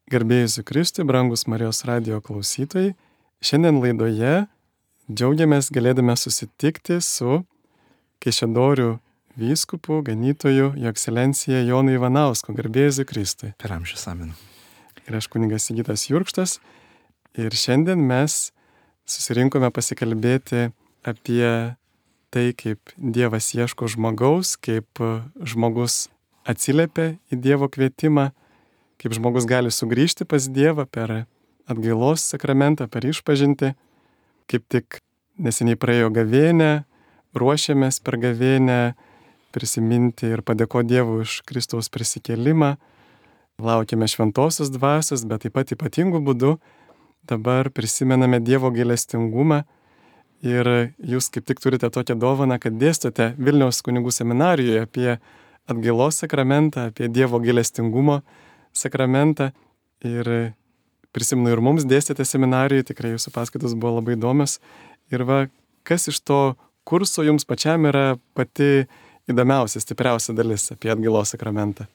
Garbė Jėzui Kristui, brangus Marijos radijo klausytojai. Šiandien laidoje džiaugiamės galėdami susitikti su Kaišiadorių vyskupu, ganytoju, Jo ekscelencija Jonu Ivanausku. Garbė Jėzui Kristui. Per amžius amen. Ir aš kunigas Sigitas Jurkštas. Ir šiandien mes susirinkome pasikalbėti apie tai, kaip Dievas ieško žmogaus, kaip žmogus atsiliepia į Dievo kvietimą, kaip žmogus gali sugrįžti pas Dievą per atgailos sakramentą, per išpažintį. Kaip tik neseniai praėjo gavėnia, ruošiamės per gavėnią prisiminti ir padėkoti Dievui už Kristaus prisikėlimą. Laukiame šventosios dvasios, bet taip pat ypatingų būdų dabar prisimename Dievo gailestingumą. Ir jūs kaip tik turite tokią dovaną, kad dėstote Vilniaus kunigų seminarijoje apie atgailos sakramentą, apie Dievo gailestingumo sakramentą. Ir prisimenu, ir mums dėstėte seminarijoje, tikrai jūsų paskaitos buvo labai įdomios. Ir kas iš to kurso jums pačiam yra pati įdomiausia, stipriausia dalis apie atgailos sakramentą?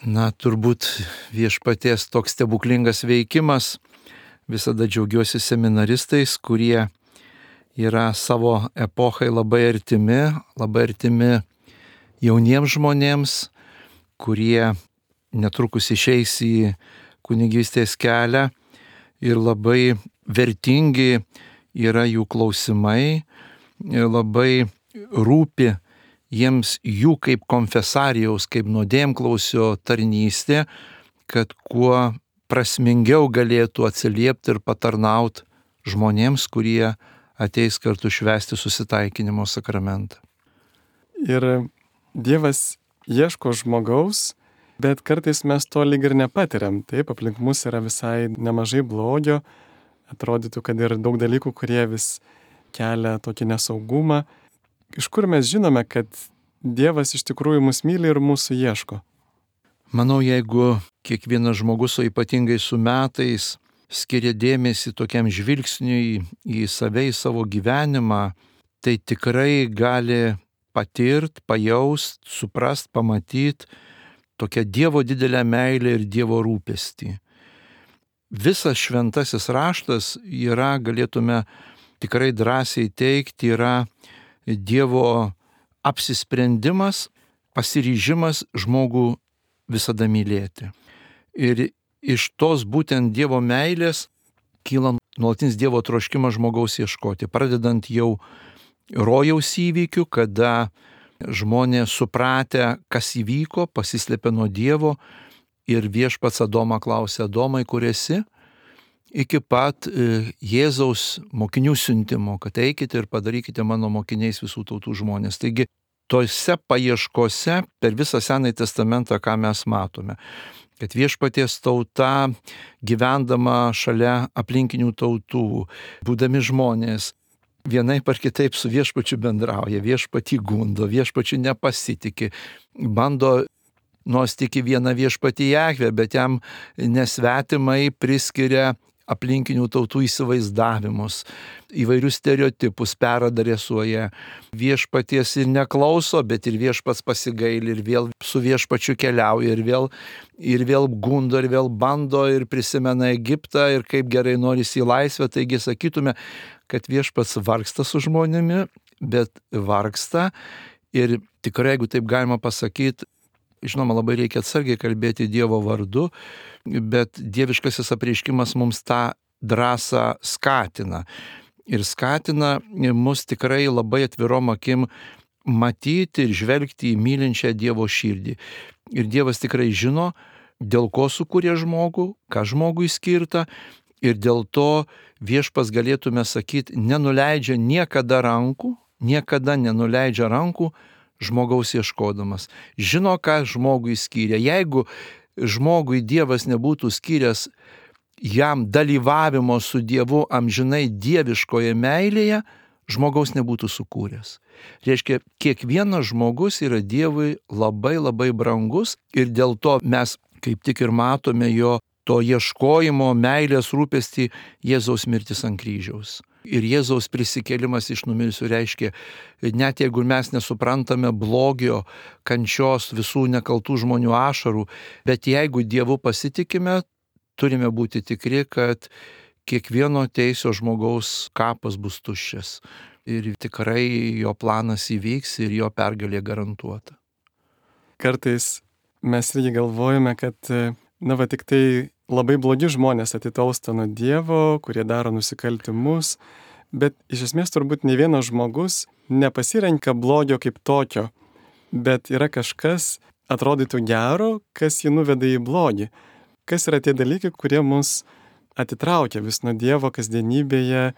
Turbūt Viešpaties toks stebuklingas veikimas. Visada džiaugiuosi seminaristais, kurie yra savo epochai labai artimi jauniems žmonėms, kurie netrukus išeis į kunigystės kelią ir labai vertingi yra jų klausimai, labai rūpi jiems jų kaip konfesarijaus, kaip nuodėmklausio tarnystė, kad kuo prasmingiau galėtų atsiliepti ir patarnauti žmonėms, kurie ateis kartu švęsti susitaikinimo sakramentą. Ir Dievas ieško žmogaus, bet kartais mes to lyg ir nepatiriam. Taip, aplink mus yra visai nemažai blogio. Atrodytų, kad ir daug dalykų, kurie vis kelia tokį nesaugumą. Iš kur mes žinome, kad Dievas iš tikrųjų mus myli ir mūsų ieško? Manau, jeigu kiekvienas žmogus, o ypatingai su metais, skiria dėmesį tokiam žvilgsniui į save, į savo gyvenimą, tai tikrai gali patirti, pajaust, suprast, pamatyti tokią Dievo didelę meilę ir Dievo rūpestį. Visas šventasis raštas yra, galėtume tikrai drąsiai teikti, yra Dievo apsisprendimas, pasiryžimas žmogų visada mylėti. Ir iš tos būtent Dievo meilės kyla nuolatinis Dievo troškimas žmogaus ieškoti, pradedant jau rojaus įvykių, kada žmonės supratę, kas įvyko, pasislėpė nuo Dievo ir viešpats Adomą klausė: Adomai, kur esi? Iki pat Jėzaus mokinių siuntimo, kad eikite ir padarykite mano mokiniais visų tautų žmonės. Taigi, tose paieškose per visą Senąjį testamentą, ką mes matome, kad viešpaties tauta, gyvendama šalia aplinkinių tautų, būdami žmonės, vienaip ar kitaip su viešpačiu bendrauja, viešpatį gundo, viešpačiu nepasitikė, bando nors tik į vieną viešpatį Jahvę, bet jam nesvetimai priskiria aplinkinių tautų įsivaizdavimus, įvairius stereotipus peradresuoja. Viešpaties ir neklauso, bet ir viešpats pasigaili ir vėl su viešpačiu keliauja ir vėl gundo ir vėl bando ir prisimena Egiptą ir kaip gerai norisi į laisvę. Taigi sakytume, kad viešpats vargsta su žmonėmi, bet vargsta ir tikrai, jeigu taip galima pasakyti, žinoma, labai reikia atsargiai kalbėti Dievo vardu, bet dieviškasis apreiškimas mums tą drąsą skatina. Ir skatina mus tikrai labai atvirom akim matyti ir žvelgti į mylinčią Dievo širdį. Ir Dievas tikrai žino, dėl ko sukūrė žmogų, ką žmogui skirta, ir dėl to viešpas, galėtume sakyti, nenuleidžia niekada nenuleidžia rankų žmogaus ieškodamas. Žino, ką žmogui skyrė. Jeigu žmogui Dievas nebūtų skyręs jam dalyvavimo su Dievu amžinai dieviškoje meilėje, žmogaus nebūtų sukūręs. Reiškia, kiekvienas žmogus yra Dievui labai labai brangus ir dėl to mes kaip tik ir matome jo to ieškojimo, meilės rūpestį Jėzaus mirtis ant kryžiaus. Ir Jėzaus prisikėlimas iš numirusių reiškia, net jeigu mes nesuprantame blogio, kančios, visų nekaltų žmonių ašarų, bet jeigu Dievu pasitikime, turime būti tikri, kad kiekvieno teisio žmogaus kapas bus tuščias. Ir tikrai jo planas įvyks ir jo pergalė garantuota. Kartais mes irgi galvojame, kad tik tai labai blogi žmonės atitolsta nuo Dievo, kurie daro nusikaltimus, bet iš esmės turbūt ne vienas žmogus nepasirenka blogio kaip tokio, bet yra kažkas atrodytų gero, kas jį nuveda į blogį. Kas yra tie dalykai, kurie mus atitraukia vis nuo Dievo kasdienybėje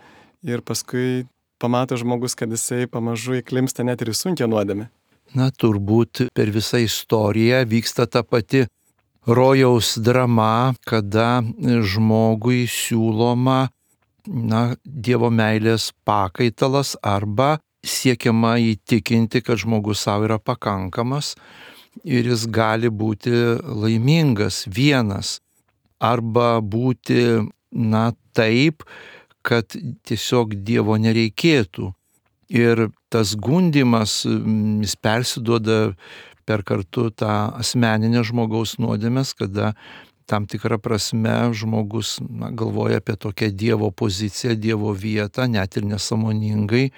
ir paskui pamato žmogus, kad jisai pamažu įklimpsta net ir į sunkią nuodėmę. Turbūt per visą istoriją vyksta ta pati rojaus drama, kada žmogui siūloma Dievo meilės pakaitalas arba siekiama įtikinti, kad žmogus savo yra pakankamas ir jis gali būti laimingas vienas arba būti taip, kad tiesiog Dievo nereikėtų. Ir tas gundymas, jis persiduoda per kartu tą asmeninę žmogaus nuodėmės, kada tam tikrą prasme žmogus galvoja apie tokią Dievo poziciją, Dievo vietą, net ir nesąmoningai.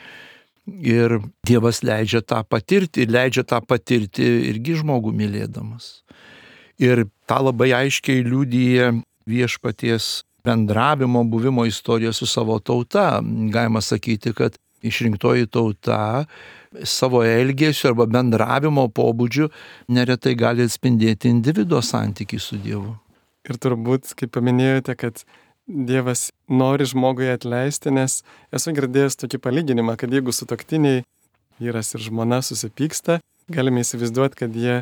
Ir Dievas leidžia tą patirti irgi žmogų mylėdamas. Ir tą labai aiškiai liudija viešpaties bendravimo, buvimo istorija su savo tauta. Galima sakyti, kad išrinktoji tauta savo elgesio arba bendravimo pobūdžiu neretai gali atspindėti individo santykį su Dievu. Ir turbūt, kaip paminėjote, kad Dievas nori žmogui atleisti, nes esu girdėjęs tokį palyginimą, kad jeigu sutuoktiniai, vyras ir žmona susipyksta, galime įsivaizduoti, kad jie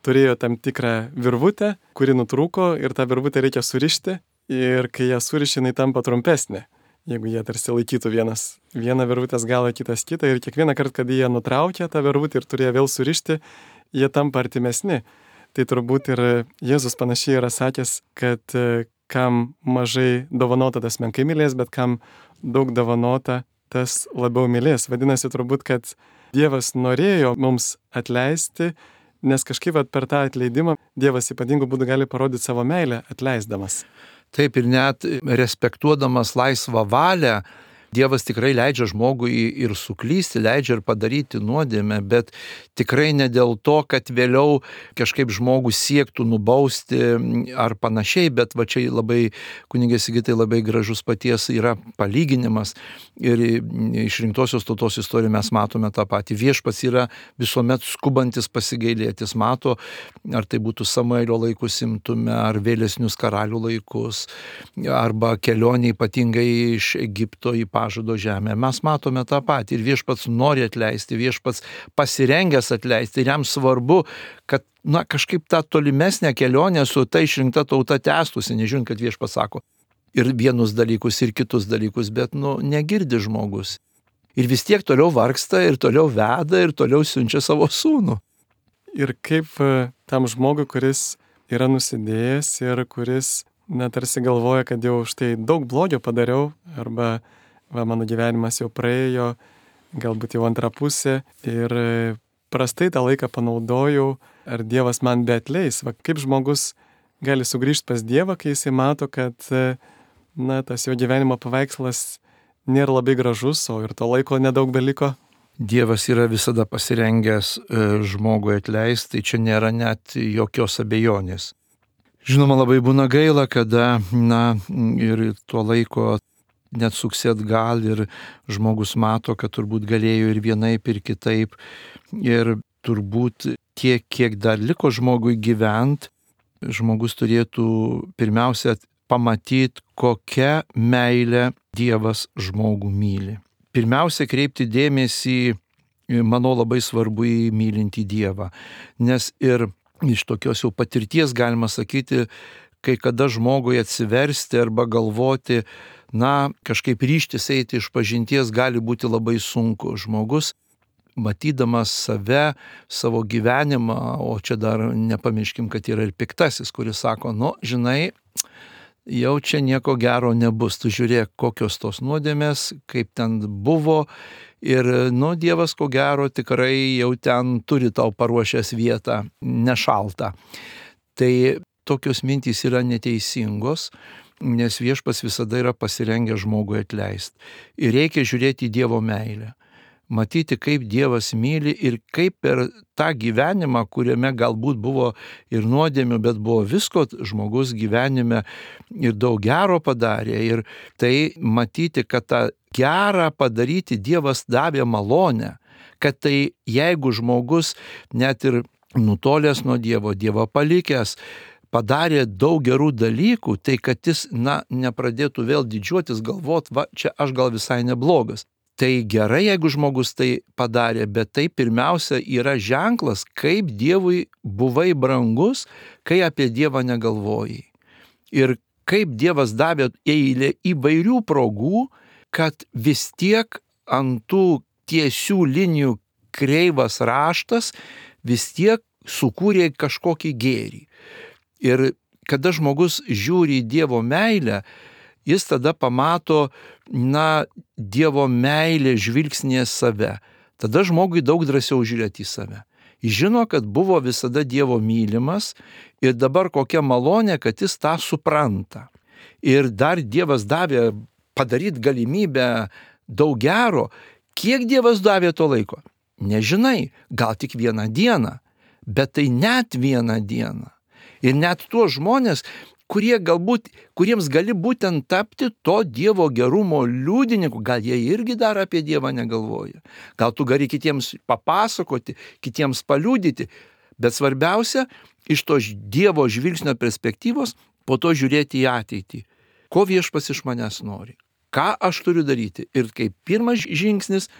turėjo tam tikrą virvutę, kuri nutrūko ir tą virvutę reikia surišti ir kai ją suriši, jinai tampa trumpesnė. Jeigu jie tarsi laikytų vieną virvutės galą, kitas kitą ir kiekvieną kartą, kad jie nutraukė tą virvutę ir turėjo vėl surišti, jie tampa artimesni. Tai turbūt ir Jėzus panašiai yra sakęs, kad kam mažai dovanota, tas menkai mylės, bet kam daug dovanota, tas labiau mylės. Vadinasi, turbūt, kad Dievas norėjo mums atleisti, nes kažkaip per tą atleidimą Dievas ypatingų būdų gali parodyti savo meilę atleisdamas. Taip, ir net respektuodamas laisvą valią, Dievas tikrai leidžia žmogui ir suklysti, leidžia ir padaryti nuodėmę, bet tikrai ne dėl to, kad vėliau kažkaip žmogų siektų nubausti ar panašiai, bet va čia labai, kunigė Sigitai, labai gražus paties yra palyginimas ir išrinktosios tautos istorijoje mes matome tą patį. Viešpats yra visuomet skubantis pasigailėtis, mato, ar tai būtų Samuelio laikus imtume, ar vėlesnius karalių laikus, arba kelionė ypatingai iš Egipto į pažado žemę. Mes matome tą patį ir viešpats nori atleisti, viešpats pasirengęs atleisti ir jam svarbu, kad kažkaip tą tolimesnę kelionę su ta išrinkta tauta tęstųsi, nežiūrint, kad viešpats sako ir vienus dalykus, ir kitus dalykus, bet negirdi žmogus. Ir vis tiek toliau vargsta, ir toliau veda, ir toliau siunčia savo sūnų. Ir kaip tam žmogui, kuris yra nusidėjęs ir kuris tarsi galvoja, kad jau štai daug blogio padariau, arba mano gyvenimas jau praėjo, galbūt jau antrą pusę ir prastai tą laiką panaudojau, ar Dievas man beatleis. Kaip žmogus gali sugrįžti pas Dievą, kai jisai mato, kad tas jo gyvenimo paveikslas nėra labai gražus, o ir to laiko nedaug beliko. Dievas yra visada pasirengęs žmogui atleisti, tai čia nėra net jokios abejonės. Žinoma, labai būna gaila, kada ir tuo laiko net suksi atgal ir žmogus mato, kad turbūt galėjo ir vienaip, ir kitaip. Ir turbūt tiek, kiek dar liko žmogui gyvent, žmogus turėtų pirmiausia pamatyti, kokią meilę Dievas žmogų myli. Pirmiausia, kreipti dėmesį, manau, labai svarbu į mylintį Dievą. Nes ir iš tokios jau patirties galima sakyti, kai kada žmogui atsiversti arba galvoti, kažkaip ryžtis eiti iš pažinties gali būti labai sunku. Žmogus, matydamas save, savo gyvenimą, o čia dar nepamirškim, kad yra ir piktasis, kuris sako, žinai, jau čia nieko gero nebus, tu žiūrėk, kokios tos nuodėmės, kaip ten buvo ir, Dievas ko gero tikrai jau ten turi tau paruošęs vietą nešaltą. Tai tokios mintys yra neteisingos, nes viešpats visada yra pasirengęs žmogui atleisti. Ir reikia žiūrėti į Dievo meilę. Matyti, kaip Dievas myli ir kaip per tą gyvenimą, kuriame galbūt buvo ir nuodėmių, bet buvo visko žmogus gyvenime ir daug gero padarė. Ir tai matyti, kad tą gerą padaryti Dievas davė malonę, kad tai jeigu žmogus net ir nutolęs nuo Dievo, Dievą palikęs, padarė daug gerų dalykų, tai kad jis, nepradėtų vėl didžiuotis, galvot, čia aš gal visai neblogas. Tai gerai, jeigu žmogus tai padarė, bet tai pirmiausia yra ženklas, kaip Dievui buvai brangus, kai apie Dievą negalvojai. Ir kaip Dievas davė eilę įvairių progų, kad vis tiek ant tų tiesių linijų kreivas raštas vis tiek sukūrė kažkokį gėrį. Ir kada žmogus žiūri į Dievo meilę, jis tada pamato, Dievo meilė žvilgsnėje save. Tada žmogui daug drąsiau žiūrėti į save. Jis žino, kad buvo visada Dievo mylimas ir dabar kokia malonė, kad jis tą supranta. Ir dar Dievas davė padaryti galimybę daug gero. Kiek Dievas davė to laiko? Nežinai, gal tik vieną dieną, bet tai net vieną dieną. Ir net tuos žmonės, kuriems gali būtent tapti to Dievo gerumo liudininku, gal jie irgi dar apie Dievą negalvoja. Gal tu gali kitiems papasakoti, kitiems paliudyti, bet svarbiausia, iš to Dievo žvilgsnio perspektyvos, po to žiūrėti į ateitį. Ko viešpats iš manęs nori? Ką aš turiu daryti? Ir kaip pirmas žingsnis,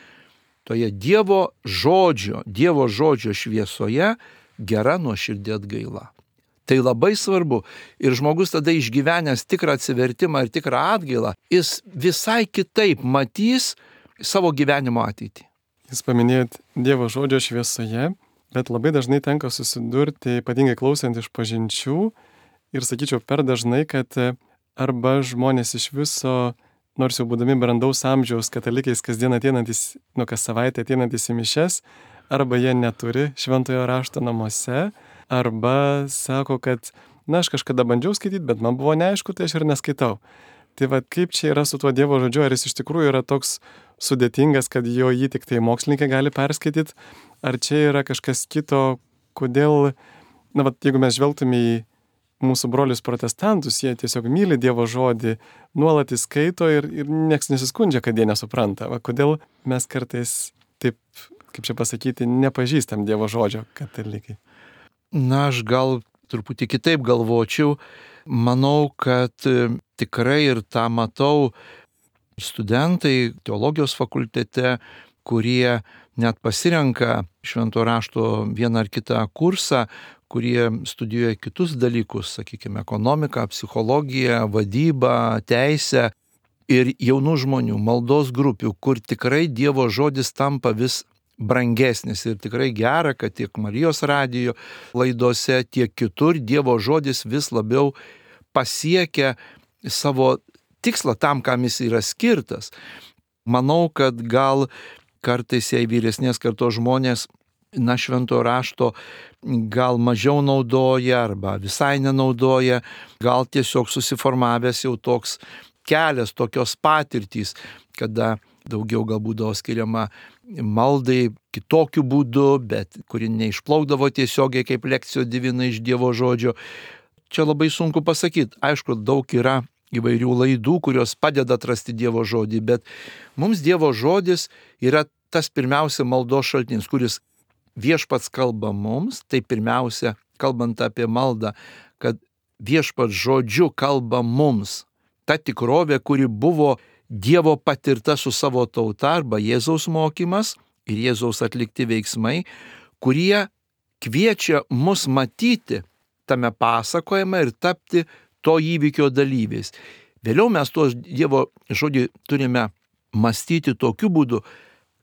toje Dievo žodžio šviesoje gera nuoširdė atgaila. Tai labai svarbu. Ir žmogus tada išgyvenęs tikrą atsivertimą ir tikrą atgailą, jis visai kitaip matys savo gyvenimo ateitį. Jūs paminėjot Dievo žodžio šviesoje, bet labai dažnai tenka susidurti, ypatingai klausant iš pažinčių, ir sakyčiau per dažnai, kad arba žmonės iš viso, nors jau būdami brandaus amžiaus katalikais kasdien ateinantis, kas savaitę ateinantis į mišias, arba jie neturi šventojo rašto namuose, arba sako, kad, aš kažkada bandžiau skaityti, bet man buvo neaišku, tai aš ir neskaitau. Tai kaip čia yra su tuo Dievo žodžiu, ar jis iš tikrųjų yra toks sudėtingas, kad jį tik tai mokslininkai gali perskaityti, ar čia yra kažkas kito, kodėl, jeigu mes žvelgtume į mūsų brolius protestantus, jie tiesiog myli Dievo žodį, nuolat įskaito ir nieks nesiskundžia, kad jie nesupranta. Kodėl mes kartais taip, kaip čia pasakyti, nepažįstam Dievo žodžio katalikai? Aš gal truputį kitaip galvočiau. Manau, kad tikrai ir tą matau studentai teologijos fakultete, kurie net pasirenka švento rašto vieną ar kitą kursą, kurie studijuoja kitus dalykus, sakykime, ekonomiką, psichologiją, vadybą, teisę. Ir jaunų žmonių, maldos grupių, kur tikrai Dievo žodis tampa vis brangesnis ir tikrai gera, kad tiek Marijos radijo laidose, tiek kitur Dievo žodis vis labiau pasiekia savo tikslą tam, kam jis yra skirtas. Manau, kad gal kartais, jei vyresnės kartos žmonės, švento rašto gal mažiau naudoja arba visai nenaudoja, gal tiesiog susiformavęs jau toks kelias, tokios patirtys, kada daugiau gal būdavo skiriama maldai kitokiu būdu, bet kuri neišplaukdavo tiesiogiai kaip lekcijos divina iš Dievo žodžio. Čia labai sunku pasakyti. Aišku, daug yra įvairių laidų, kurios padeda atrasti Dievo žodį, bet mums Dievo žodis yra tas pirmiausia maldos šaltinis, kuris viešpats kalba mums, tai pirmiausia, kalbant apie maldą, kad viešpats žodžiu kalba mums. Ta tikrovė, kuri buvo Dievo patirta su savo tauta arba Jėzaus mokymas ir Jėzaus atlikti veiksmai, kurie kviečia mus matyti tame pasakojime ir tapti to įvykio dalyviais. Vėliau mes tuos Dievo žodį turime mąstyti tokiu būdu,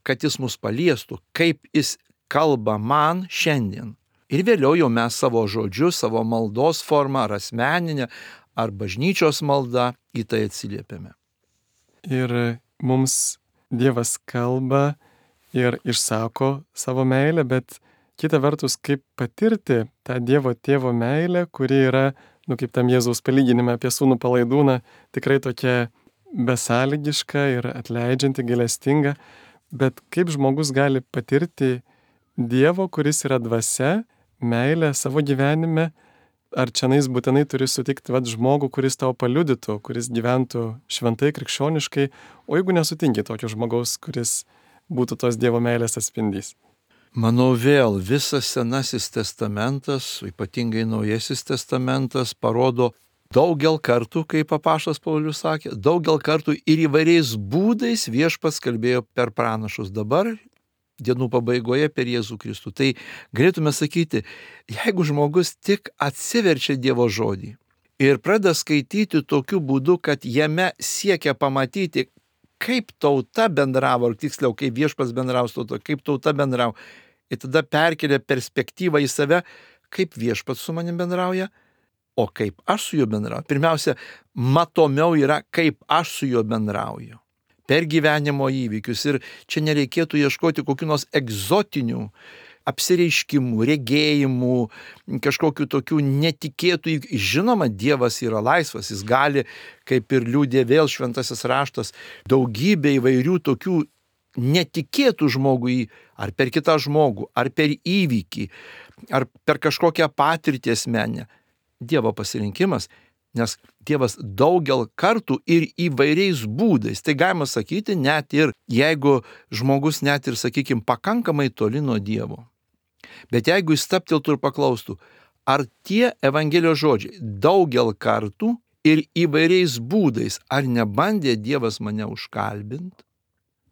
kad jis mus paliestų, kaip jis kalba man šiandien. Ir vėliau jau mes savo žodžiu, savo maldos formą, ar asmeninę, ar bažnyčios maldą į tai atsiliepiame. Ir mums Dievas kalba ir išsako savo meilę, bet kita vertus, kaip patirti tą Dievo tėvo meilę, kuri yra kaip tam Jėzaus palyginime apie sūnų palaidūną, tikrai tokia besąlygiška ir atleidžianti, gailestinga, bet kaip žmogus gali patirti Dievo, kuris yra dvasia, meilę savo gyvenime, ar čianais būtinai turi sutikti žmogų, kuris tau paliudytų, kuris gyventų šventai, krikščioniškai, o jeigu nesutinki tokio žmogaus, kuris būtų tos Dievo meilės atspindys? Manau, vėl visas Senasis testamentas, ypatingai Naujasis testamentas, parodo daugel kartų, kaip apaštalas Paulius sakė, daugel kartų ir įvairiais būdais viešpats kalbėjo per pranašus. Dabar dienų pabaigoje per Jėzų Kristų. Tai galėtume sakyti, jeigu žmogus tik atsiverčia Dievo žodį ir pradeda skaityti tokiu būdu, kad jame siekia pamatyti, kaip tauta bendravo, ar tiksliau, kaip viešpats bendravo su tauta, kaip tauta bendravo, ir tada perkelia perspektyvą į save, kaip viešpats su manim bendrauja, o kaip aš su juo bendrauju. Pirmiausia, matomiau yra, kaip aš su juo bendrauju. Per gyvenimo įvykius. Ir čia nereikėtų ieškoti kokių nors egzotinių apsireiškimų, regėjimų, kažkokių tokių netikėtų. Žinoma, Dievas yra laisvas, jis gali, kaip ir liudė vėl šventasis raštas, daugybę įvairių tokių netikėtų žmogui, ar per kitą žmogų, ar per įvykį, ar per kažkokią patirtį asmenę. Dievo pasirinkimas, nes Dievas daugel kartų ir įvairiais būdais. Tai galima sakyti, net ir jeigu žmogus net ir, sakykime, pakankamai toli nuo Dievo. Bet jeigu jis stabteltų ir paklaustų, ar tie Evangelijos žodžiai daugel kartų ir įvairiais būdais, ar nebandė Dievas mane užkalbinti,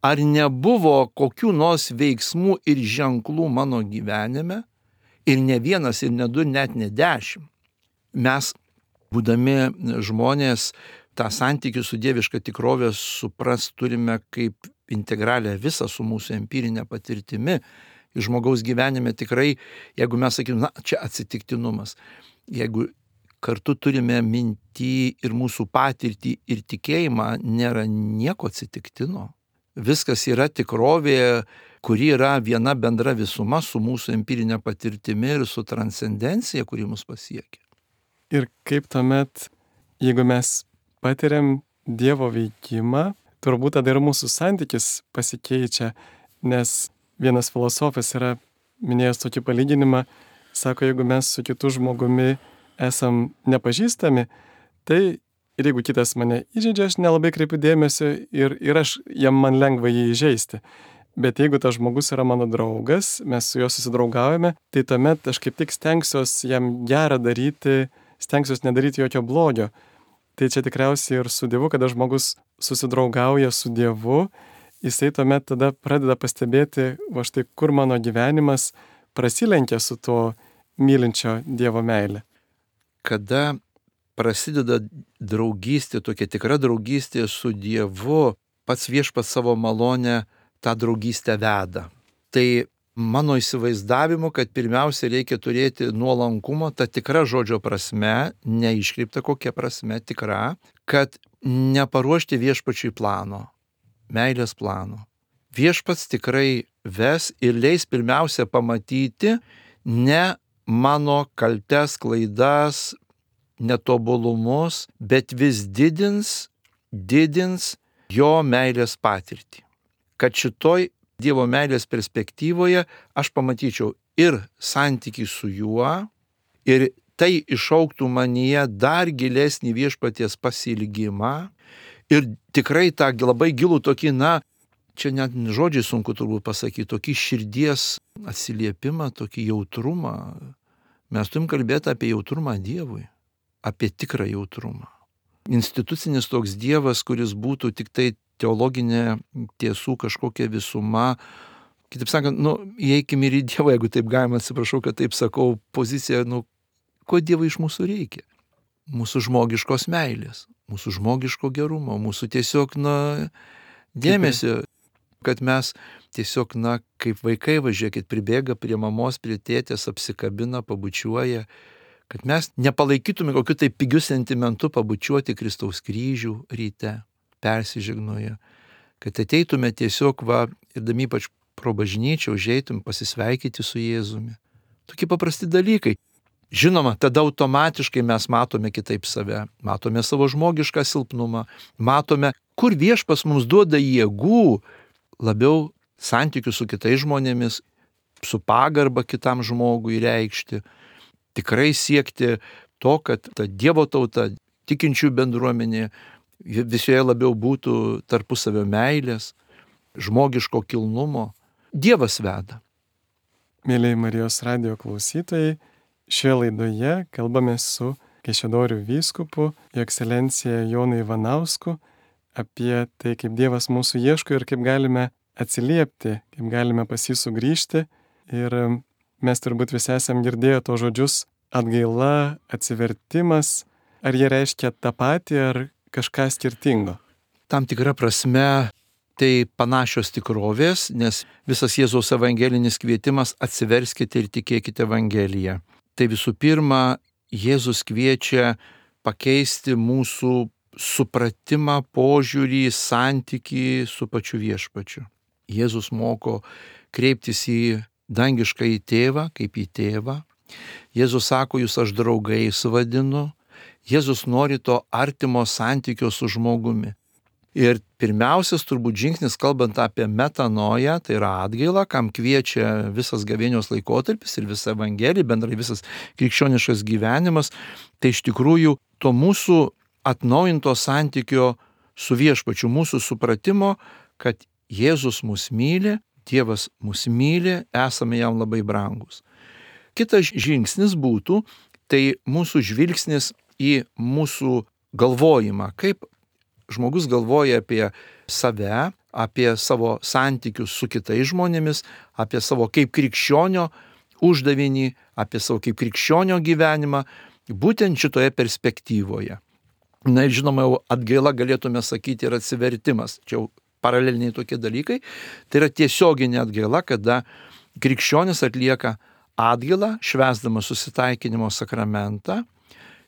ar nebuvo kokių nors veiksmų ir ženklų mano gyvenime, ir ne vienas, ir ne du, net ne 10. Mes, būdami žmonės, tą santykį su dieviška tikrovė supras turime kaip integralią visą su mūsų empirinė patirtimi. Ir žmogaus gyvenime tikrai, jeigu mes sakytume, čia atsitiktinumas, jeigu kartu turime mintį ir mūsų patirtį ir tikėjimą, nėra nieko atsitiktino. Viskas yra tikrovė, kuri yra viena bendra visuma su mūsų empirinė patirtimi ir su transcendencija, kuri mus pasiekia. Ir kaip tuomet, jeigu mes patiriam Dievo veikimą, turbūt tada ir mūsų santykis pasikeičia, nes vienas filosofas yra minėjęs tokį palyginimą, sako, jeigu mes su kitu žmogumi esam nepažįstami, tai ir jeigu kitas mane įžeidžia, aš nelabai kreipiu dėmesio ir man lengva jį įžeisti. Bet jeigu tas žmogus yra mano draugas, mes su juo susidraugaujame, tai tuomet aš kaip tik stengsiuosi jam gerą daryti, stengsiuosi nedaryti jokio blogio. Tai čia tikriausiai ir su Dievu, kada žmogus susidraugauja su Dievu, jisai tuomet tada pradeda pastebėti, štai kur mano gyvenimas prasilenkia su to mylinčio Dievo meile. Kada prasideda draugystė, tokia tikra draugystė su Dievu, pats viešpats savo malonę tą draugystę veda. Tai mano įsivaizdavimu, kad pirmiausia reikia turėti nuolankumo, ta tikra žodžio prasme, neiškreipta kokia prasme, tikra, kad neparuošti viešpačiui plano, meilės plano. Viešpats tikrai ves ir leis pirmiausia pamatyti ne mano kaltes, klaidas, netobulumus, bet vis didins jo meilės patirtį. Kad šitoj Dievo meilės perspektyvoje aš pamatyčiau ir santykį su juo, ir tai išauktų manyje dar gilesnį viešpaties pasiilgimą, ir tikrai tą labai gilų tokį, čia net žodžiai sunku turbūt pasakyti, tokį širdies atsiliepimą, tokį jautrumą. Mes turim kalbėti apie jautrumą Dievui, apie tikrą jautrumą. Institucinis toks Dievas, kuris būtų tik tai teologinė tiesų kažkokia visuma. Kitaip sakant, įeikime ir į Dievą, jeigu taip galima, atsiprašau, kad taip sakau, pozicija, ko Dievui iš mūsų reikia? Mūsų žmogiškos meilės, mūsų žmogiško gerumo, mūsų tiesiog, dėmesio, kad mes tiesiog, kaip vaikai, važiuokit, pribėga prie mamos, prie tėtės, apsikabina, pabučiuoja, kad mes nepalaikytume kokiu tai pigiu sentimentu pabučiuoti Kristaus kryžių ryte, persižegnoja, kad ateitume tiesiog ir ypač pro bažnyčią užeitum pasisveikyti su Jėzumi. Tokie paprasti dalykai. žinoma, tada automatiškai mes matome kitaip save, matome savo žmogišką silpnumą, matome, kur Viešpats mums duoda jėgų labiau santykių su kitais žmonėmis, su pagarba kitam žmogui reikšti, tikrai siekti to, kad ta Dievo tauta, tikinčių bendruomenė, visoje labiau būtų tarpusavio meilės, žmogiško kilnumo. Dievas veda. Mėlyje Marijos radijo klausytojai, šioje laidoje kalbame su Kaišiadorių vyskupu, Jo ekscelencija Jonu Ivanausku apie tai, kaip Dievas mūsų ieško ir kaip galime atsiliepti, kaip galime pas jį sugrįžti. Ir mes turbūt visi esam girdėję to žodžius atgaila, atsivertimas. Ar jie reiškia tą patį ar kažką skirtingo? Tam tikra prasme tai panašios tikrovės, nes visas Jėzaus evangelinis kvietimas atsiverskite ir tikėkite Evangeliją. Tai visų pirma, Jėzus kviečia pakeisti mūsų supratimą, požiūrį, santykį su pačiu Viešpačiu. Jėzus moko kreiptis į dangiškąjį tėvą kaip į tėvą. Jėzus sako, jūs aš draugais vadinu. Jėzus nori to artimo santykio su žmogumi. Ir pirmiausias turbūt žingsnis, kalbant apie metanoją, tai yra atgaila, kam kviečia visas gavėnios laikotarpis ir visa Evangelija, bendrai visas krikščioniškas gyvenimas, tai iš tikrųjų to mūsų atnaujinto santykio su Viešpačiu, mūsų supratimo, kad Jėzus mus myli, Dievas mus myli, esame jam labai brangus. Kitas žingsnis būtų, tai mūsų žvilgsnis į mūsų galvojimą, kaip žmogus galvoja apie save, apie savo santykius su kitais žmonėmis, apie savo kaip krikščionio uždavinį, apie savo kaip krikščionio gyvenimą, būtent šitoje perspektyvoje. Na ir žinoma, jau atgaila galėtume sakyti ir atsivertimas. Čia jau paraleliniai tokie dalykai. Tai yra tiesioginė atgaila, kada krikščionis atlieka atgailą, švęsdamas susitaikinimo sakramentą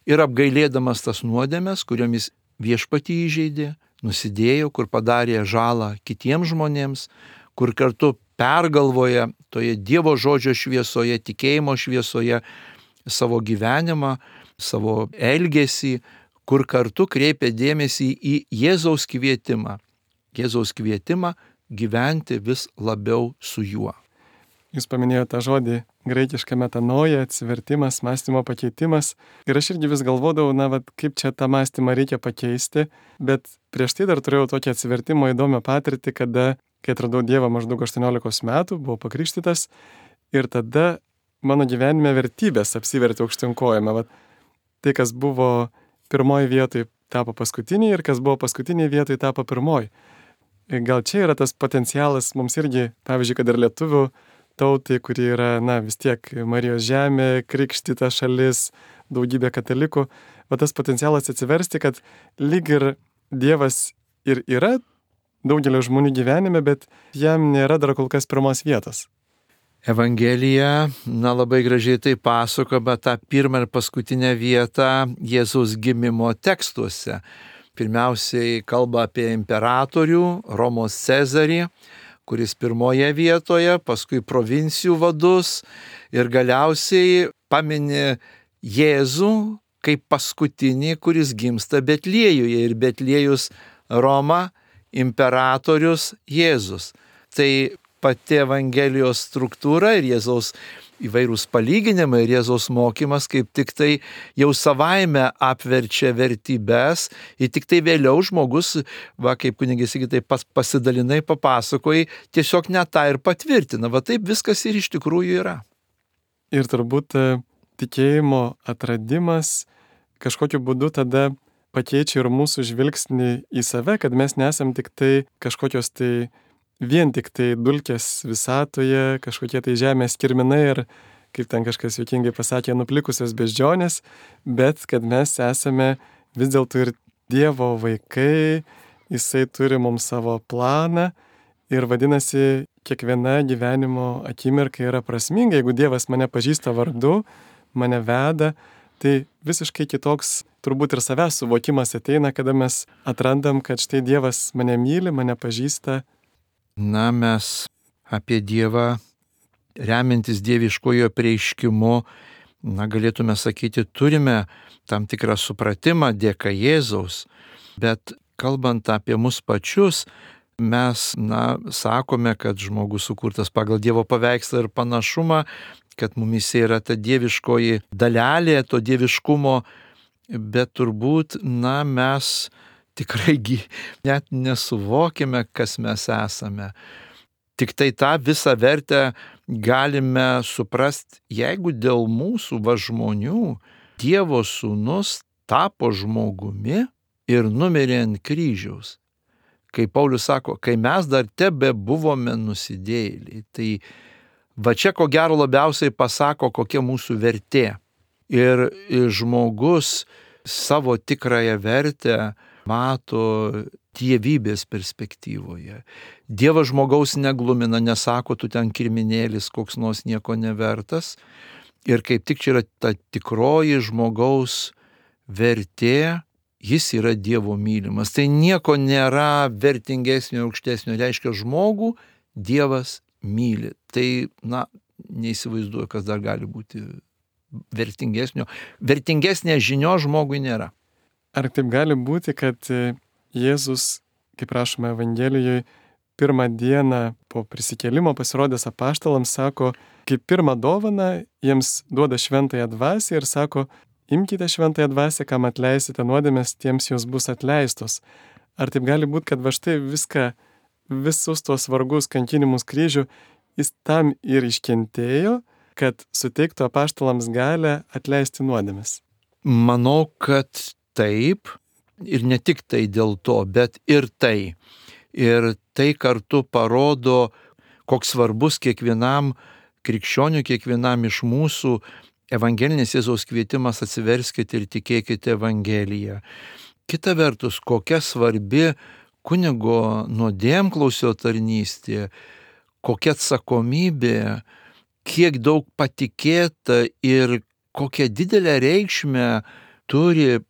ir apgailėdamas tas nuodėmes, kuriomis Viešpatį įžeidė, nusidėjo, kur padarė žalą kitiems žmonėms, kur kartu pergalvoja toje Dievo žodžio šviesoje, tikėjimo šviesoje savo gyvenimą, savo elgesį, kur kartu kreipia dėmesį į Jėzaus kvietimą. Jėzaus kvietimą gyventi vis labiau su juo. Jūs paminėjote tą žodį graikišką metanoja, atsivertimas, mąstymo pakeitimas. Ir aš irgi vis galvodavau, kaip čia tą mąstymą reikia pakeisti. Bet prieš tai dar turėjau tokią atsivertimo įdomią patirtį, kada, kai atradau Dievą maždaug 18 metų, buvau pakrikštytas. Ir tada mano gyvenime vertybės apsivertė aukštyn kojom. Tai, kas buvo pirmoji vietoje, tapo paskutiniai ir kas buvo paskutiniai vietoje, tapo pirmoji. Gal čia yra tas potencialas mums irgi, pavyzdžiui, kad ir lietuvių tautai, kuri yra, vis tiek Marijos žemė, krikštyta šalis, daugybė katalikų, tas potencialas atsiversti, kad lyg ir Dievas ir yra daugelio žmonių gyvenime, bet jam nėra dar kol kas pirmos vietos. Evangelija, labai gražiai tai pasako, bet tą pirmą ir paskutinę vietą Jėzaus gimimo tekstuose. Pirmiausiai kalba apie imperatorių, Romos Cezarį, kuris pirmoje vietoje, paskui provincijų vadus ir galiausiai pamini Jėzų kaip paskutinį, kuris gimsta Betliejuje ir Betliejus Roma, imperatorius Jėzus. Tai pati Evangelijos struktūra ir Jėzaus įvairūs palyginimai ir Jėzaus mokymas kaip tik tai jau savaime apverčia vertybės ir tik tai vėliau žmogus, kaip kunigis Sigitai pasidalinai, papasakojai, tiesiog net tą ir patvirtina. Taip viskas ir iš tikrųjų yra. Ir turbūt tikėjimo atradimas kažkokiu būdu tada pakeičia ir mūsų žvilgsnį į save, kad mes nesam tik tai kažkokios tai vien tik tai dulkės visatoje, kažkokie tai žemės kirminai ir, kaip ten kažkas juokingai pasakė, nuplikusios beždžionės, bet kad mes esame vis dėlto ir Dievo vaikai, jisai turi mums savo planą ir vadinasi, kiekviena gyvenimo akimirka yra prasminga. Jeigu Dievas mane pažįsta vardu, mane veda, tai visiškai kitoks turbūt ir savęs suvokimas ateina, kada mes atrandam, kad štai Dievas mane myli, mane pažįsta. Mes apie Dievą, remiantis dieviškojo apreiškimu, galėtume sakyti, turime tam tikrą supratimą dėka Jėzaus, bet kalbant apie mus pačius, mes, sakome, kad žmogus sukurtas pagal Dievo paveikslą ir panašumą, kad mumise yra ta dieviškoji dalelė, to dieviškumo, bet turbūt, mes tikrai net nesuvokime, kas mes esame. Tik tai tą visą vertę galime suprasti, jeigu dėl mūsų žmonių Dievo sūnus tapo žmogumi ir numirė ant kryžiaus. Kai Paulius sako, kai mes dar tebe buvome nusidėjėliai, tai va čia ko gero labiausiai pasako, kokia mūsų vertė. Ir žmogus savo tikrąją vertę mato dievybės perspektyvoje. Dievas žmogaus neglumina, nesako, tu ten kirminėlis, koks nors nieko nevertas. Ir kaip tik čia yra ta tikroji žmogaus vertė, jis yra Dievo mylimas. Tai nieko nėra vertingesnio, aukštesnio, reiškia žmogų Dievas myli. Tai, neįsivaizduoju, kas dar gali būti vertingesnio. Vertingesnė žinia žmogui nėra. Ar taip gali būti, kad Jėzus, kaip rašoma Evangelijoje, pirmą dieną po prisikėlimo pasirodęs apaštalams sako, kaip pirmą dovaną jiems duoda šventąją dvasią ir sako, imkite šventąją dvasią, kam atleisite nuodėmes, tiems jos bus atleistos. Ar taip gali būti, kad va štai visus tuos vargus, kankinimus kryžių, jis tam ir iškentėjo, kad suteiktų apaštalams galę atleisti nuodėmes? Manau, kad taip, ir ne tik tai dėl to, bet ir tai. Ir tai kartu parodo, koks svarbus kiekvienam krikščioniui, kiekvienam iš mūsų evangelinis Jėzaus kvietimas atsiverskite ir tikėkite Evangeliją. Kita vertus, kokia svarbi kunigo nuodėmklausio tarnystė, kokia atsakomybė, kiek daug patikėta ir kokią didelę reikšmę turi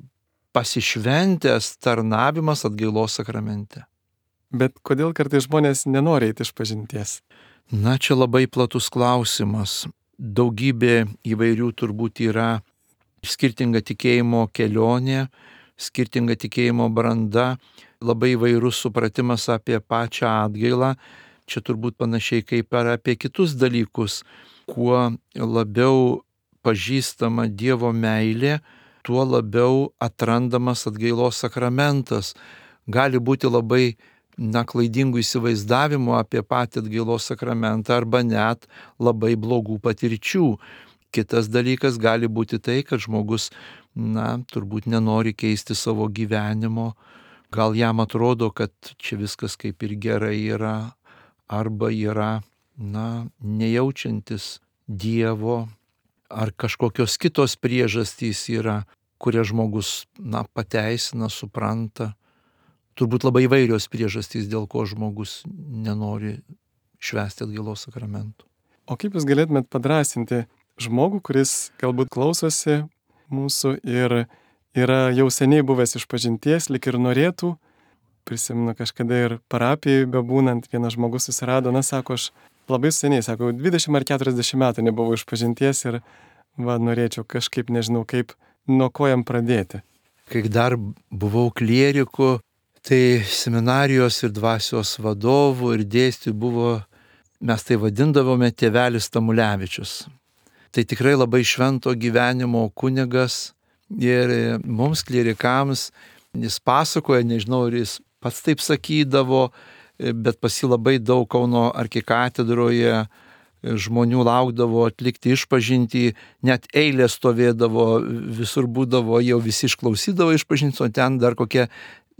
pasišventęs tarnavimas atgailos sakramente. Bet kodėl kartais žmonės nenori eiti išpažinties? Čia labai platus klausimas. Daugybė įvairių turbūt yra skirtinga tikėjimo kelionė, skirtinga tikėjimo branda, labai įvairus supratimas apie pačią atgailą. Čia turbūt panašiai kaip ir apie kitus dalykus. Kuo labiau pažįstama Dievo meilė, tuo labiau atrandamas atgailos sakramentas. Gali būti labai klaidingų įsivaizdavimų apie patį atgailos sakramentą arba net labai blogų patirčių. Kitas dalykas gali būti tai, kad žmogus, turbūt nenori keisti savo gyvenimo. Gal jam atrodo, kad čia viskas kaip ir gerai yra, arba yra, nejaučiantis Dievo, ar kažkokios kitos priežastys yra, kurias žmogus, pateisina, supranta. Turbūt labai įvairios priežastys, dėl ko žmogus nenori švęsti atgailos sakramentų. O kaip jūs galėtumėt padrąsinti žmogų, kuris galbūt klausosi mūsų ir yra jau seniai buvęs išpažinties, lyg ir norėtų, prisimenu kažkada ir parapijai bebūnant, vienas žmogus susirado, sako, aš labai seniai, 20 ar 40 metų nebuvau išpažinties ir norėčiau kažkaip, nežinau kaip, nuo ko jam pradėti. Kai dar buvau klieriku, tai seminarijos ir dvasios vadovų ir dėstytojų buvo, mes tai vadindavome tėvelis Tamulevičius. Tai tikrai labai švento gyvenimo kunigas ir mums klierikams jis pasakoja, nežinau, ar jis pats taip sakydavo, bet pas jį labai daug Kauno arkikatedroje žmonių laukdavo atlikti išpažintį, net eilė stovėdavo, visur būdavo, jau visi išklausydavo išpažintį, o ten dar kokie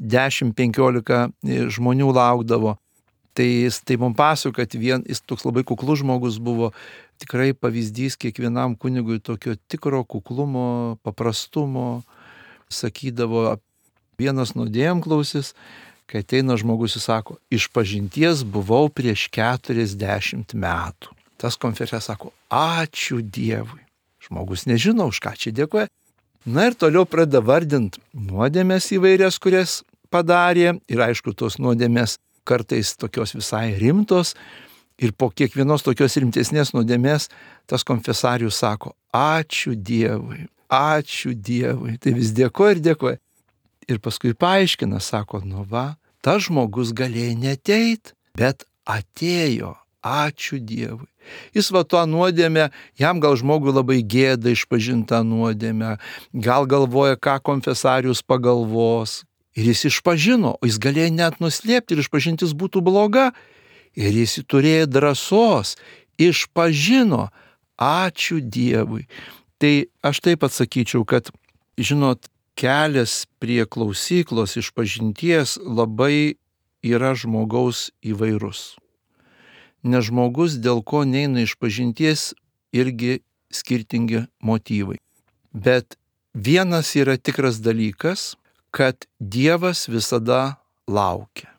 10-15 žmonių laukdavo. Tai jis tai mums pasakojo, kad jis toks labai kuklus žmogus buvo, tikrai pavyzdys kiekvienam kunigui tokio tikro kuklumo, paprastumo. Sakydavo, vienas nuodėmklausis, kai ateina žmogus ir sako, išpažinties buvau prieš 40 metų. Tas konferencijoje sako, ačiū Dievui. Žmogus nežino, už ką čia dėkoja. Ir toliau pradeda vardinti nuodėmės įvairias, kurias padarė. Ir aišku, tos nuodėmės kartais tokios visai rimtos. Ir po kiekvienos tokios rimtesnės nuodėmės tas konfesarius sako, ačiū Dievui, ačiū Dievui. Tai vis dėkoja ir dėkoja. Ir paskui paaiškina, sako, nu va, tas žmogus galėjo neteit, bet atėjo, ačiū Dievui. Jis va tuo nuodėmę, jam gal žmogui labai gėda išpažinta nuodėmę, gal galvoja, ką konfesarius pagalvos. Ir jis išpažino, o jis galėjo net nuslėpti ir išpažintis būtų bloga. Ir jis turėjo drąsos, išpažino, ačiū Dievui. Tai aš taip atsakyčiau, kad, žinot, kelias prie klausyklos išpažinties labai yra žmogaus įvairus. Nes žmogus, dėl ko neina išpažinties, irgi skirtingi motyvai. Bet vienas yra tikras dalykas, kad Dievas visada laukia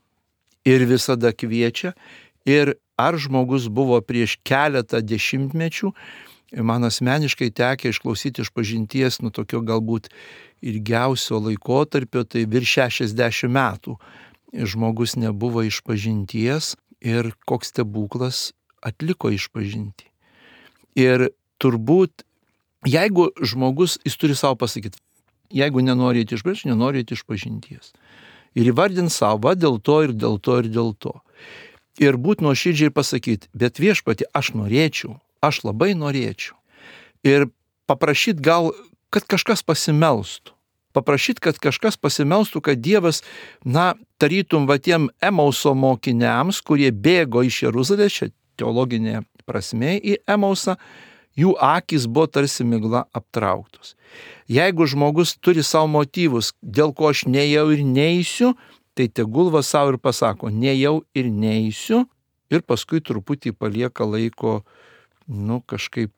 ir visada kviečia. Ir ar žmogus buvo prieš keletą dešimtmečių, man asmeniškai tekę išklausyti išpažinties, tokio galbūt ilgiausio laikotarpio, tai virš 60 metų žmogus nebuvo išpažinties ir koks stebuklas atliko išpažinti. Ir turbūt, jeigu žmogus, jis turi savo pasakyti, jeigu nenorite išpažinti, nenorite išpažinties. Ir įvardint savo, dėl to ir dėl to ir dėl to. Ir būt nuoširdžiai pasakyti, bet Viešpatie, aš norėčiau, aš labai norėčiau. Ir paprašyti gal, kad kažkas pasimelstų. Paprašyti, kad kažkas pasimelstų, kad Dievas, tarytum tiem Emauso mokiniams, kurie bėgo iš Jeruzalės, čia teologinė prasme į Emausą, jų akys buvo tarsi migla aptrauktos. Jeigu žmogus turi savo motyvus, dėl ko aš nejau ir neisiu, tai tegul va savo ir pasako, nejau ir neisiu, ir paskui truputį palieka laiko, kažkaip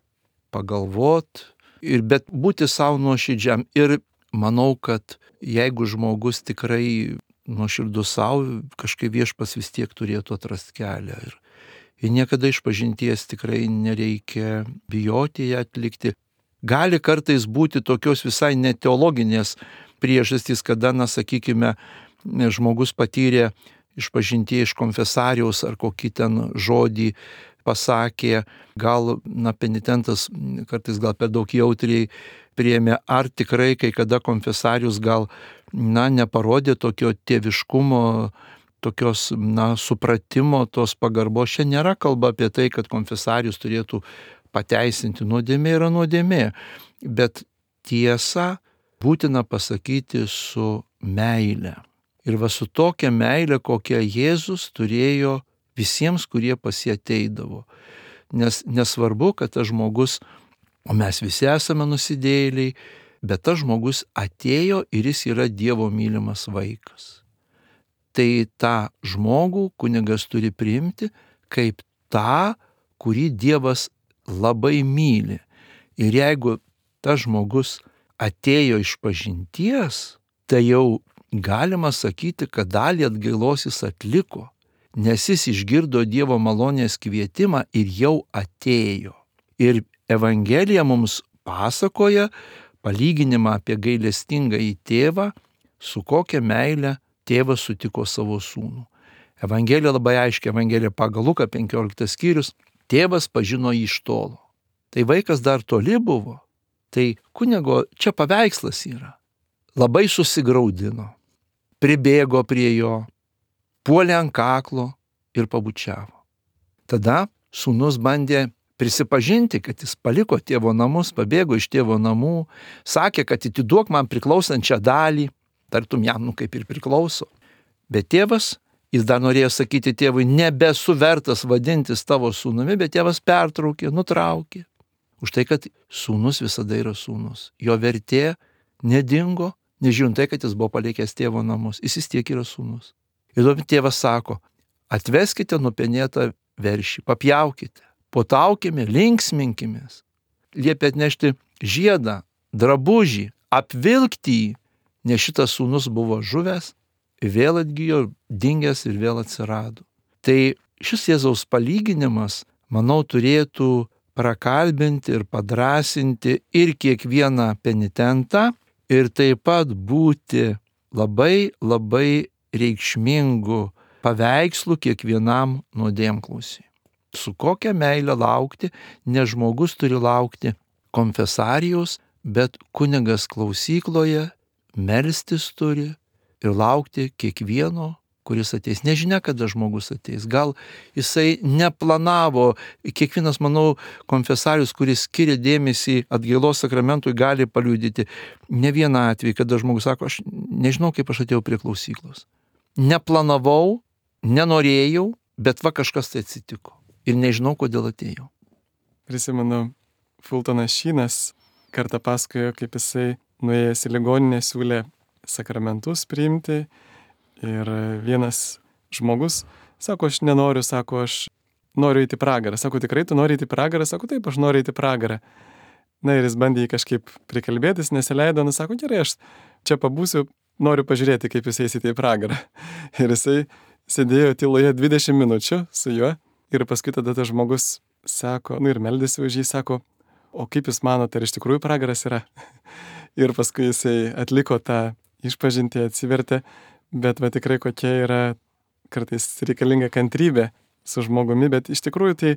pagalvot, bet būti savo nuoširdžiam. Ir manau, kad jeigu žmogus tikrai nuoširdus savo, kažkaip Viešpats vis tiek turėtų atrasti kelią. Ir niekada išpažinties tikrai nereikia bijoti ją atlikti. Gali kartais būti tokios visai neteologinės priežastys, kada, sakykime, žmogus patyrė išpažintie iš konfesariaus ar kokį ten žodį pasakė, gal penitentas kartais gal per daug jautriai priėmė, ar tikrai kai kada konfesarius gal neparodė tokio tėviškumo, tokios supratimo, tos pagarbos. Čia nėra kalba apie tai, kad konfesarius turėtų pateisinti, nuodėmė yra nuodėmė, bet tiesą būtina pasakyti su meile. Ir va su tokia meile, kokią Jėzus turėjo visiems, kurie pas jį ateidavo. Nes nesvarbu, kad tas žmogus, o mes visi esame nusidėjėliai, bet tas žmogus atėjo ir jis yra Dievo mylimas vaikas. Tai tą žmogų kunigas turi priimti kaip tą, kurį Dievas labai myli. Ir jeigu tas žmogus atėjo išpažinties, tai jau galima sakyti, kad dalį atgailos jis atliko, nes jis išgirdo Dievo malonės kvietimą ir jau atėjo. Ir Evangelija mums pasakoja palyginimą apie gailestingąjį tėvą, su kokia meile tėvas sutiko savo sūnų. Evangelija labai aiškiai, Evangelija pagal Luką 15 skyrius, tėvas pažino jį iš tolo. Tai vaikas dar toli buvo, tai kunigo čia paveikslas yra. Labai susigraudino, pribėgo prie jo, puolė ant kaklo ir pabučiavo. Tada sūnus bandė prisipažinti, kad jis paliko tėvo namus, pabėgo iš tėvo namų, sakė, kad atiduok man priklausančią dalį, tartum jam kaip ir priklauso. Bet tėvas, jis dar norėjo sakyti tėvui, nebesu vertas vadintis tavo sūnumi, bet tėvas pertraukė, nutraukė. Už tai, kad sūnus visada yra sūnus. Jo vertė nedingo, nežiūrint tai, kad jis buvo palikęs tėvo namus. Jis vis tiek yra sūnus. Ir tuomet tėvas sako, atveskite nupenėtą veršį, papjaukite, potaukime, linksminkimės. Liepia atnešti žiedą, drabužį, apvilkti jį, nes šitas sūnus buvo žuvęs, vėl atgijo, dingęs ir vėl atsirado. Tai šis Jėzaus palyginimas, manau, turėtų prakalbinti ir padrasinti ir kiekvieną penitentą ir taip pat būti labai, labai reikšmingų paveikslų kiekvienam nuodėmklausiui. Su kokia meile laukti, nes žmogus turi laukti konfesarijos, bet kunigas klausykloje melstis turi ir laukti kiekvieno, kuris ateis. Nežinia, kada žmogus ateis. Gal jisai neplanavo. Kiekvienas, manau, konfesarius, kuris skiria dėmesį atgailos sakramentui, gali paliudyti ne vieną atvejį, kada žmogus sako, aš nežinau, kaip aš atėjau prie klausyklos. Neplanavau, nenorėjau, bet va kažkas tai atsitiko. Ir nežinau, kodėl atėjau. Prisimenu, Fultonas Šynas kartą pasakojo, kaip jisai nuėjęs į ligoninę siūlė sakramentus priimti. Ir vienas žmogus sako, aš nenoriu, sako, aš noriu eiti į pragarą. Sako, tikrai tu nori eiti į pragarą? Sako, taip, aš noriu eiti į pragarą. Na ir jis bandė jį kažkaip prikalbėtis, nesileido, sako, gerai, aš čia pabūsiu, noriu pažiūrėti, kaip jūs eisite į pragarą. Ir jisai sėdėjo tyloje 20 minučių su juo ir paskui tada tas žmogus sako, ir meldėsi už jį, sako, o kaip jūs manote, ar iš tikrųjų pragaras yra? Ir paskui jisai atliko tą išpažintį, atsivertė. Bet va tikrai kokia yra kartais reikalinga kantrybė su žmogumi, bet iš tikrųjų tai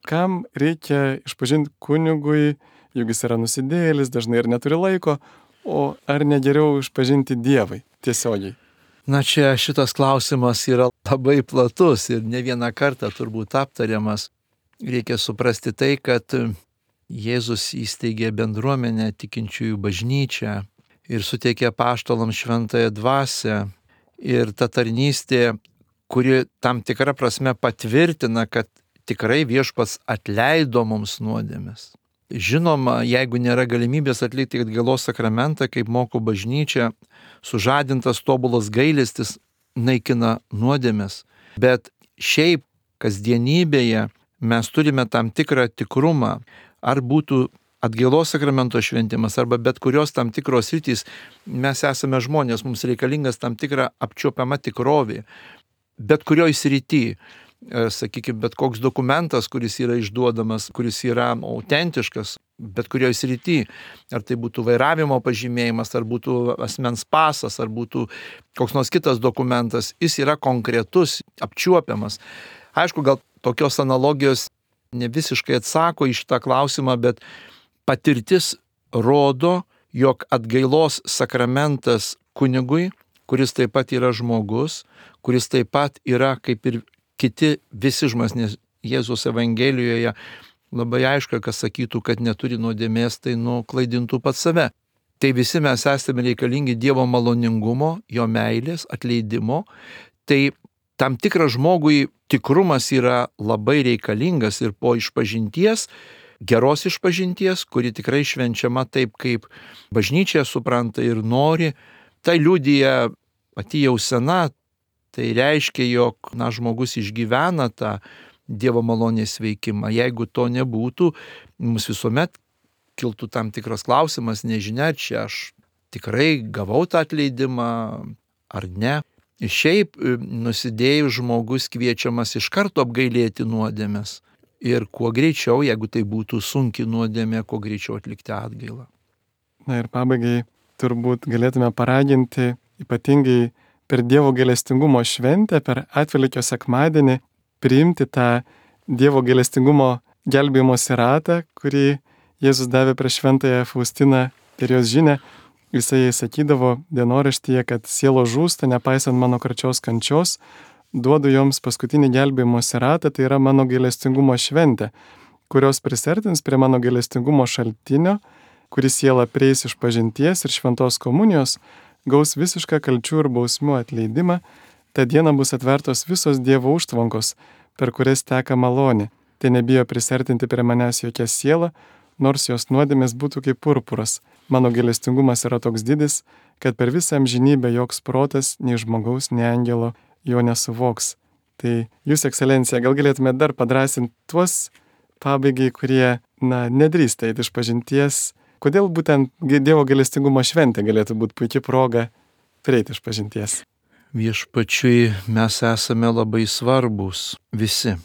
kam reikia išpažinti kunigui, juk jis yra nusidėjėlis, dažnai ir neturi laiko, o ar ne geriau išpažinti Dievui tiesiogiai? Na čia šitas klausimas yra labai platus ir ne vieną kartą turbūt aptariamas. Reikia suprasti tai, kad Jėzus įsteigė bendruomenę tikinčiųjų bažnyčią ir suteikė apaštalams šventąją dvasią. Ir ta tarnystė, kuri tam tikra prasme patvirtina, kad tikrai viešpats atleido mums nuodėmes. Žinoma, jeigu nėra galimybės atlikti atgailos sakramentą, kaip moko bažnyčia, sužadintas tobulas gailestis naikina nuodėmes. Bet šiaip kasdienybėje mes turime tam tikrą tikrumą, ar būtų atgailos sakramento šventimas arba bet kurios tam tikros sritys, mes esame žmonės, mums reikalingas tam tikra apčiuopiama tikrovė. Bet kurioj srity, sakykime, bet koks dokumentas, kuris yra išduodamas, kuris yra autentiškas, bet kurioj srity, ar tai būtų vairavimo pažymėjimas, ar būtų asmens pasas, ar būtų koks nors kitas dokumentas, jis yra konkretus, apčiuopiamas. Aišku, gal tokios analogijos ne visiškai atsako į šitą klausimą, bet patirtis rodo, jog atgailos sakramentas kunigui, kuris taip pat yra žmogus, kuris taip pat yra kaip ir kiti visi žmonės, nes Jėzaus Evangelijoje labai aišku, kas sakytų, kad neturi nuodėmės, tai nuklaidintų pats save. Tai visi mes esame reikalingi Dievo maloningumo, jo meilės, atleidimo. Tai tam tikras žmogui tikrumas yra labai reikalingas ir po išpažinties, geros išpažinties, kuri tikrai švenčiama taip, kaip bažnyčia supranta ir nori, tai liudija pati jau sena, tai reiškia, jog žmogus išgyvena tą Dievo malonės veikimą. Jeigu to nebūtų, mums visuomet kiltų tam tikras klausimas, nežinia, čia aš tikrai gavau tą atleidimą ar ne. Šiaip nusidėjus žmogus kviečiamas iš karto apgailėti nuodėmes. Ir kuo greičiau, jeigu tai būtų sunki nuodėmė, kuo greičiau atlikti atgailą. Na ir pabaigai turbūt galėtume paraginti, ypatingai per Dievo gailestingumo šventę, per Atvelykio sekmadienį, priimti tą Dievo gailestingumo gelbėjimosi ratą, kurį Jėzus davė prieš šventąją Faustiną ir jos žinią. Jisai sakydavo dienoraštyje, kad sielos žūsta, nepaisant mano karčios kančios, duodu joms paskutinį gelbėjimosi ratą, tai yra mano gailestingumo šventė, kurios prisertins prie mano gailestingumo šaltinio, kuris siela prieis iš pažinties ir šventos komunijos, gaus visišką kalčių ir bausmių atleidimą, tą dieną bus atvertos visos Dievo užtvankos, per kurias teka malonė. Tai nebijo prisertinti prie manęs jokia siela, nors jos nuodėmės būtų kaip purpuras. Mano gailestingumas yra toks didis, kad per visą amžinybę joks protas, nei žmogaus, nei angelo jo nesuvoks. Tai Jūs, ekscelencija, gal galėtumėte dar padrasinti tuos pabaigai, kurie, nedrįsta eiti išpažinties. Kodėl būtent Dievo gailestingumo šventė galėtų būti puikia proga prieiti išpažinties? Viešpačiui mes esame labai svarbus visi.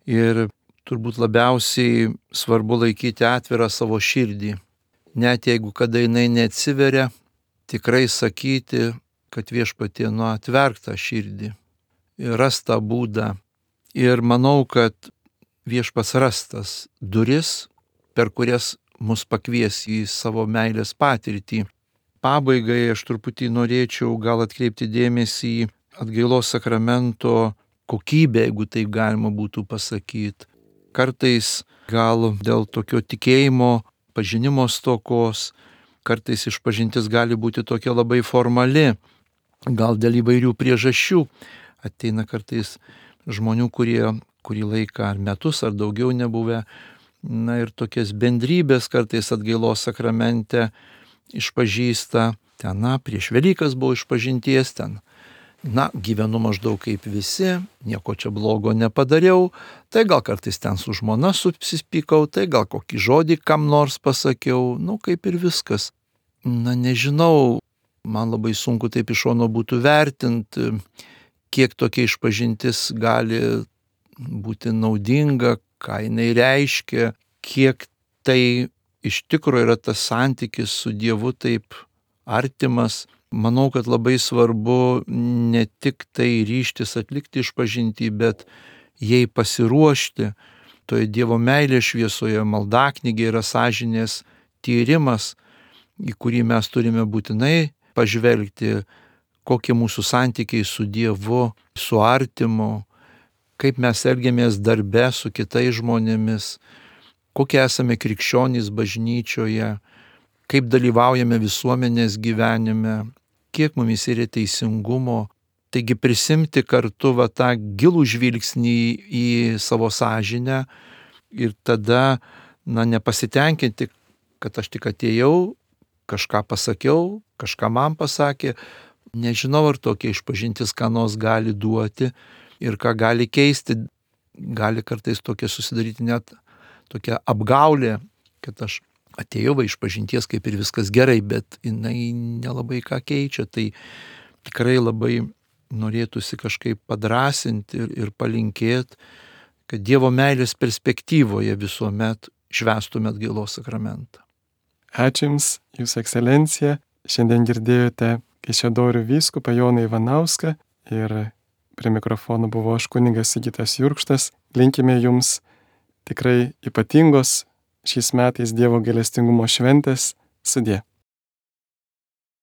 Ir turbūt labiausiai svarbu laikyti atvirą savo širdį. Net jeigu kada jinai neatsiveria, tikrai sakyti, kad Viešpatie atverk tą širdį ir ras tą būdą. Ir manau, kad Viešpats ras tas duris, per kurias mus pakvies į savo meilės patirtį. Pabaigai aš truputį norėčiau gal atkreipti dėmesį į atgailos sakramento kokybę, jeigu taip galima būtų pasakyti. Kartais gal dėl tokio tikėjimo, pažinimo stokos, kartais išpažintis gali būti tokia labai formali, gal dėl įvairių priežasčių. Ateina kartais žmonių, kurie kurį laiką ar metus ar daugiau nebuvę, ir tokias bendrybės kartais atgailos sakramente išpažįsta. Ten, prieš Velykas buvo išpažinties, ten, gyvenu maždaug kaip visi, nieko čia blogo nepadariau, tai gal kartais ten su žmona susipykau, tai gal kokį žodį kam nors pasakiau, kaip ir viskas. Nežinau, man labai sunku taip iš šono būtų vertinti, kiek tokia išpažintis gali būti naudinga, ką jinai reiškia, kiek tai iš tikrųjų yra tas santykis su Dievu taip artimas. Manau, kad labai svarbu ne tik tai ryžtis atlikti išpažintį, bet jai pasiruošti. Toje Dievo meilės šviesoje maldaknygė yra sąžinės tyrimas, į kurį mes turime būtinai pažvelgti, kokie mūsų santykiai su Dievu, su artimu, kaip mes elgiamės darbe su kitais žmonėmis, kokie esame krikščionys bažnyčioje, kaip dalyvaujame visuomenės gyvenime, kiek mumis yra teisingumo. Taigi prisimti kartu tą gilų žvilgsnį į savo sąžinę ir tada nepasitenkinti, kad aš tik atėjau, kažką pasakiau, kažką man pasakė. Nežinau, ar tokia išpažintis ką nors gali duoti ir ką gali keisti. Gali kartais tokia susidaryti net tokia apgaulė, kad aš atėjau išpažinties kaip ir viskas gerai, bet jinai nelabai ką keičia. Tai tikrai labai norėtųsi kažkaip padrąsinti ir palinkėti, kad Dievo meilės perspektyvoje visuomet švęstume atgailos sakramentą. Ačiū Jums, Jūsų ekscelencija. Šiandien girdėjote Kaišiadorių vyskupą Joną Ivanauską ir prie mikrofono buvo aš kunigas Sigitas Jurkštas. Linkime Jums tikrai ypatingos šiais metais Dievo gailestingumo šventės. Sudie.